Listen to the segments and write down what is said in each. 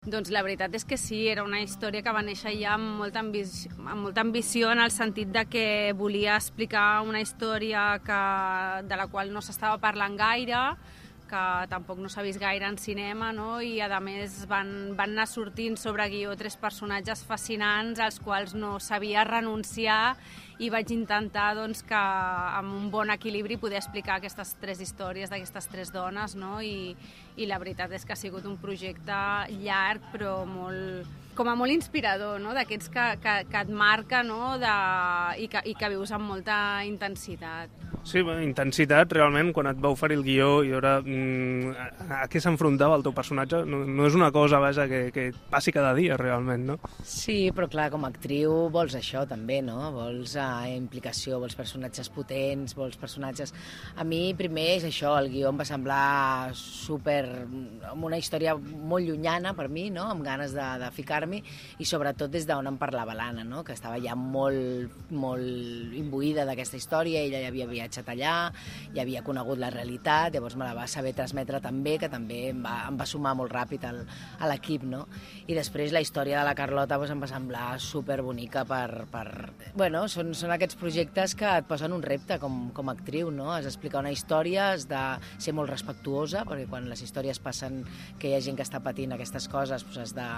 Doncs la veritat és que sí, era una història que va néixer ja amb molta ambició en el sentit de que volia explicar una història de la qual no s'estava parlant gaire, que tampoc no s'ha vist gaire en cinema, no? I a més van anar sortint sobre guió 3 personatges fascinants als quals no sabia renunciar i vaig intentar doncs, que amb un bon equilibri poder explicar aquestes 3 històries d'aquestes 3 dones, no? I la veritat és que ha sigut un projecte llarg però com a molt inspirador, no? D'aquests que et marca, no? I que vius amb molta intensitat. Sí, intensitat, realment, quan et va oferir el guió i veure a què s'enfrontava el teu personatge, no és una cosa, vaja, que passi cada dia, realment, no? Sí, però clar, com a actriu vols això també, no? Vols implicació, vols personatges potents, vols personatges... A mi, primer, és això, el guió em va semblar amb una història molt llunyana per mi, no? Amb ganes de ficar-m'hi, i sobretot des d'on em parlava l'Anna, no? Que estava ja molt imbuïda d'aquesta història, ella ja havia viatjat allà, ja havia conegut la realitat, llavors me la va saber transmetre també, que també em va sumar molt ràpid a l'equip, no? I després la història de la Carlota doncs, em va semblar superbonica Bueno, són aquests projectes que et posen un repte com a actriu, no? Has d'explicar una història, has de ser molt respectuosa, perquè quan les històries passen que hi ha gent que està patint aquestes coses, doncs has de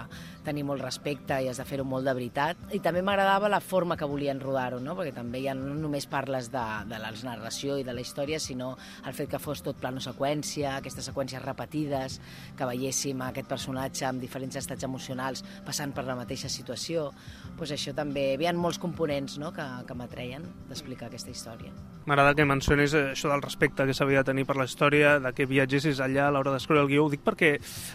tenir molt respecte i has de fer-ho molt de veritat. I també m'agradava la forma que volien rodar-ho, no? Perquè també ja no només parles de la narració i de la història, sinó el fet que fos tot plano seqüència, aquestes seqüències repetides, que veiéssim aquest personatge amb diferents estats emocionals passant per la mateixa situació. Doncs això també, hi havia molts components, no? que m'atreien d'explicar aquesta història. M'agrada que mencionis això del respecte que s'havia de tenir per la història, de que viatgessis allà a l'hora d'escriure el guió. Ho dic perquè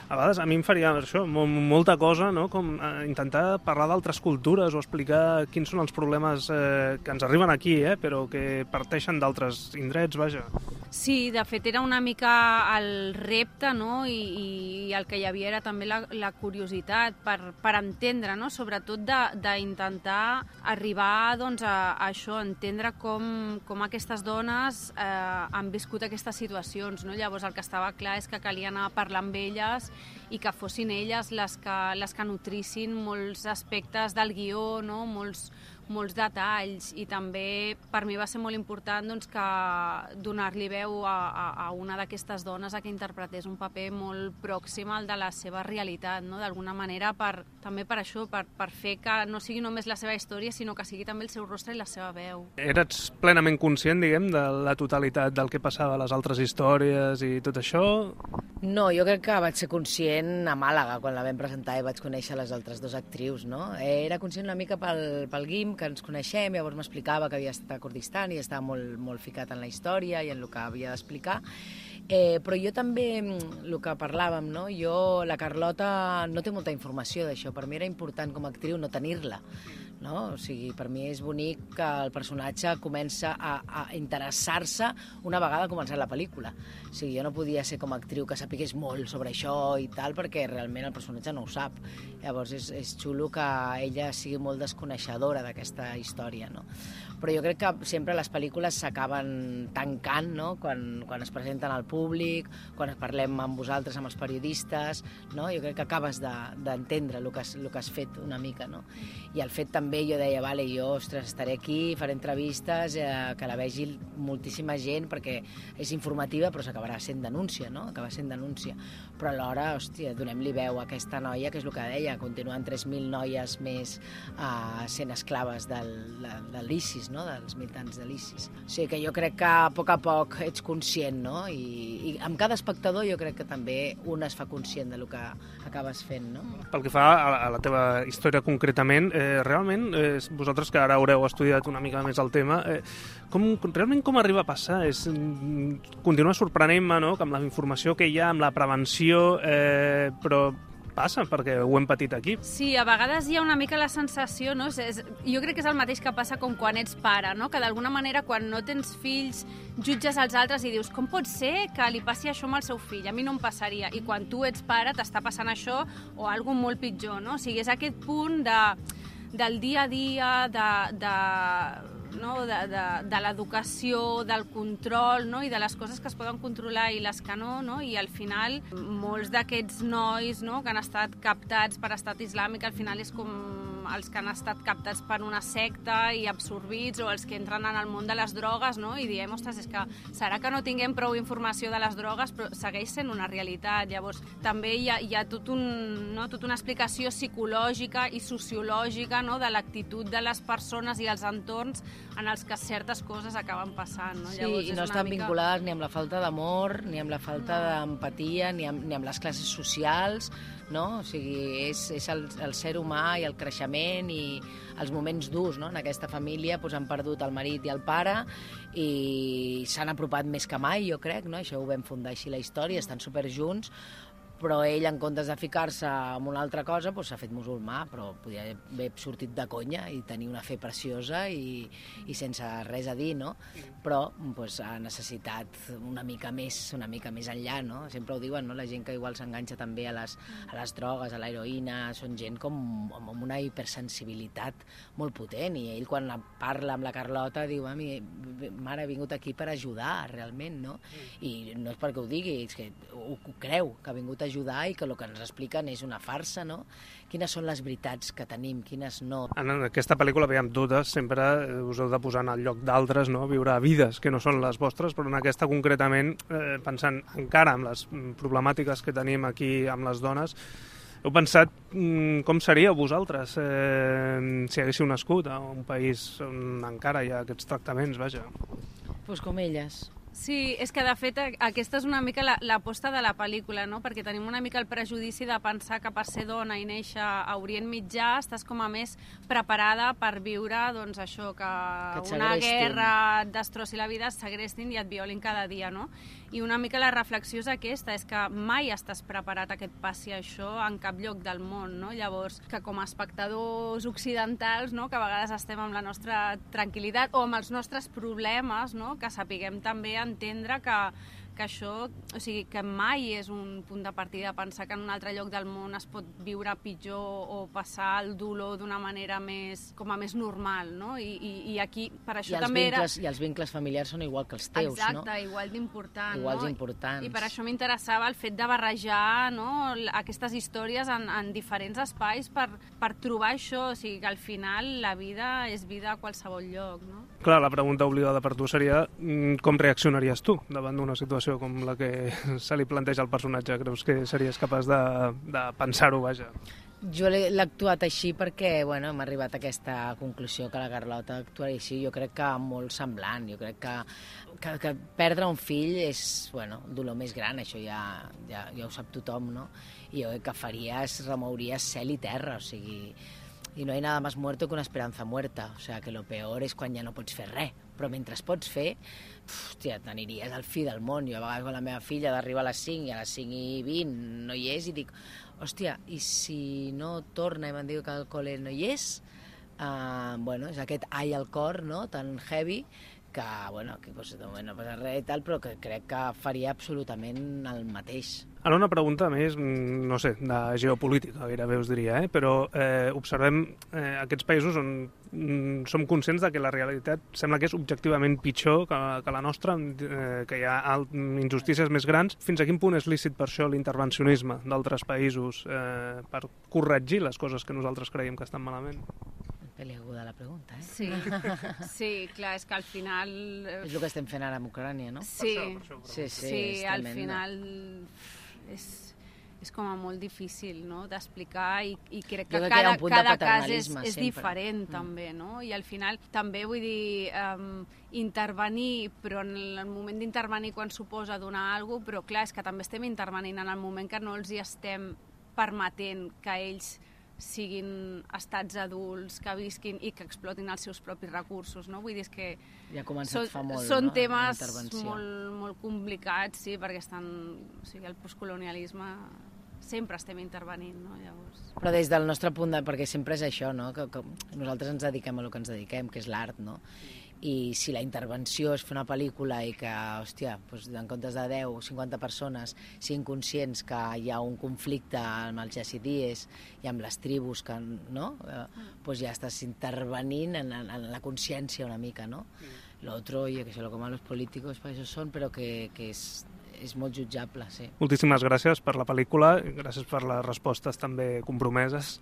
a vegades a mi em faria això, molta cosa, no? Com intentar parlar d'altres cultures o explicar quins són els problemes que ens arriben aquí, però que parteixen d'altres indrets, vaja. Sí, de fet era una mica el repte, no? I el que hi havia era també la curiositat per entendre, no? Sobretot d'intentar arribar doncs, a això, entendre com aquestes dones han viscut aquestes situacions, no? Llavors el que estava clar és que calia anar a parlar amb elles i que fossin elles les que nutrissin molts aspectes del guió, no? Molts detalls, i també per mi va ser molt important doncs, que donar-li veu a una d'aquestes dones a que interpretés un paper molt pròxim al de la seva realitat, no? D'alguna manera també per això, per fer que no sigui només la seva història, sinó que sigui també el seu rostre i la seva veu. Eres plenament conscient, diguem, de la totalitat del que passava a les altres històries i tot això? No, jo crec que vaig ser conscient a Màlaga, quan la vam presentar i vaig conèixer les altres 2 actrius, no? Era conscient una mica pel Guim, que ens coneixem, llavors m'explicava que havia estat a Kurdistan i estava molt ficat en la història i en el que havia d'explicar. Però jo també, el que parlàvem, no? La Carlota no té molta informació d'això, per mi era important com a actriu no tenir-la, no? O sigui, per mi és bonic que el personatge comença a interessar-se una vegada començat la pel·lícula. O sigui, jo no podia ser com a actriu que sapigués molt sobre això i tal, perquè realment el personatge no ho sap. Llavors és xulo que ella sigui molt desconeixedora d'aquesta història, no? Però jo crec que sempre les pel·lícules s'acaben tancant, no? Quan es presenten al públic, quan parlem amb vosaltres, amb els periodistes, no? Jo crec que acabes d'entendre el que has fet una mica, no? I el fet també, jo deia, vale, jo, ostres, estaré aquí, faré entrevistes, que la vegi moltíssima gent, perquè és informativa, però s'acabarà sent denúncia, no? Acaba sent denúncia. Però alhora, hòstia, donem-li veu a aquesta noia, que és el que deia, continuen 3.000 noies més sent esclaves de l'ISIS, no? Dels militants de l'ISIS. O sigui que jo crec que a poc ets conscient, no? I amb cada espectador jo crec que també un es fa conscient del que acabes fent, no? Pel que fa a la teva història concretament, realment, vosaltres que ara haureu estudiat una mica més el tema, realment com arriba a passar? Continua sorprenent-me, no?, que amb la informació que hi ha, amb la prevenció, però passa, perquè ho hem patit aquí. Sí, a vegades hi ha una mica la sensació, no? Jo crec que és el mateix que passa com quan ets pare, no? Que d'alguna manera quan no tens fills jutges els altres i dius, com pot ser que li passi això amb el seu fill? A mi no em passaria. I quan tu ets pare t'està passant això o alguna molt pitjor, no? O sigui, és aquest punt del dia a dia, no? de l'educació, del control, no? I de les coses que es poden controlar i les que no, no? I al final molts d'aquests nois, no? Que han estat captats per Estat Islàmic, al final és com els que han estat captats per una secta i absorbits, o els que entren en el món de les drogues, no? I diem, ostres, és que serà que no tinguem prou informació de les drogues, però segueix sent una realitat. Llavors, també hi ha tota una explicació psicològica i sociològica, no? De l'actitud de les persones i els entorns en els que certes coses acaben passant. No? Sí, llavors, i no estan vinculades ni amb la falta d'amor, ni amb la falta d'empatia, ni amb les classes socials, no? O sigui, és el ser humà i el creixement i els moments durs, no? En aquesta família doncs, han perdut el marit i el pare i s'han apropat més que mai, jo crec, no? Això ho vam fundar així la història, estan superjunts, però ell, en comptes de ficar-se en una altra cosa, doncs s'ha fet musulmà, però podia haver sortit de conya i tenir una fe preciosa i sense res a dir, no? Però doncs, ha necessitat una mica més enllà, no? Sempre ho diuen, no? La gent que igual s'enganxa també a les drogues, a l'heroïna, són gent com amb una hipersensibilitat molt potent, i ell quan parla amb la Carlota diu, mare, he vingut aquí per ajudar, realment, no? I no és perquè ho digui, és que ho creu, que ha vingut a ajudar i que el que ens expliquen és una farsa, no? Quines són les veritats que tenim, quines no. En aquesta pel·lícula, veiem totes, sempre us heu de posar en el lloc d'altres, no? Viure vides que no són les vostres, però en aquesta concretament, pensant encara en les problemàtiques que tenim aquí amb les dones, heu pensat com seríeu vosaltres si haguéssiu nascut a un país on encara hi ha aquests tractaments, vaja? Doncs com elles. Sí, és que de fet aquesta és una mica l'aposta de la pel·lícula, no? Perquè tenim una mica el prejudici de pensar que per ser dona i néixer a Orient Mitjà estàs com a més preparada per viure, doncs això, que una guerra et destrossi la vida, et segrestin i et violin cada dia, no? I una mica la reflexió és aquesta, és que mai estàs preparat a que et passi això en cap lloc del món, no? Llavors, que com a espectadors occidentals, no? Que a vegades estem amb la nostra tranquil·litat o amb els nostres problemes, no? Que sapiguem també entendre que això, o sigui, que mai és un punt de partida pensar que en un altre lloc del món es pot viure pitjor o passar el dolor d'una manera més normal, no? I aquí, per això també era... I els vincles familiars són igual que els teus, exacte, no? Exacte, igual d'important. Iguals d'importants. I per això m'interessava el fet de barrejar, no? Aquestes històries en diferents espais per trobar això, o sigui, que al final la vida és vida a qualsevol lloc, no? Clar, la pregunta obligada per tu seria com reaccionaries tu davant d'una situació com la que se li planteja al personatge? Creus que series capaç de pensar-ho, vaja? Jo l'he actuat així perquè hem arribat a aquesta conclusió que la Carlota actuaria així. Jo crec que molt semblant. Jo crec que perdre un fill és el dolor més gran, això ja ho sap tothom, no? I jo que faria és remouria cel i terra, o sigui... I no hay nada más muerto que una esperanza muerta. O sea, que lo peor és quan ja no pots fer res. Però mentre pots fer, t'aniries al fi del món. Jo a vegades amb la meva filla d'arribar a les 5 i a les 5:20 no hi és i dic, hòstia, i si no torna i me'n diu que al col·le no hi és? És aquest ai al cor, no?, tan heavy, que no passa res i tal, però que crec que faria absolutament el mateix. Ara una pregunta més, no sé, de geopolítica, gairebé us diria, però observem aquests països on som conscients de que la realitat sembla que és objectivament pitjor que la nostra, que hi ha injustícies més grans. Fins a quin punt és lícit per això l'intervencionisme d'altres països per corregir les coses que nosaltres creiem que estan malament? Peliaguda la pregunta, eh? Sí, clar, és que al final... És el que estem fent ara amb Ucrània, no? Sí, al final és com a molt difícil, no?, d'explicar i crec que cada cas és diferent també, no? I al final també vull dir intervenir, però en el moment d'intervenir quan suposa donar alguna cosa, però clar, és que també estem intervenint en el moment que no els hi estem permetent que ells siguin estats adults, que visquin i que explotin els seus propis recursos, no? Vull dir, és que ja fa molt, són temes molt complicats, sí, perquè el postcolonialisme sempre estem intervenint, no? Llavors... Però des del nostre punt perquè sempre és això, no? Que nosaltres ens dediquem a el que ens dediquem, que és l'art, no? i si la intervenció és fer una pel·lícula i que, hòstia, doncs en comptes de 10 o 50 persones siguin conscients que hi ha un conflicte amb els yazidíes i amb les tribus, que, no? Doncs ja estàs intervenint en la consciència una mica, no? Lo otro, oye, que sé, lo que malos políticos para eso son, però que és molt jutjable, sí. Moltíssimes gràcies per la pel·lícula, gràcies per les respostes també compromeses.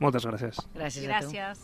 Moltes gràcies. Gràcies a tu. Gràcies.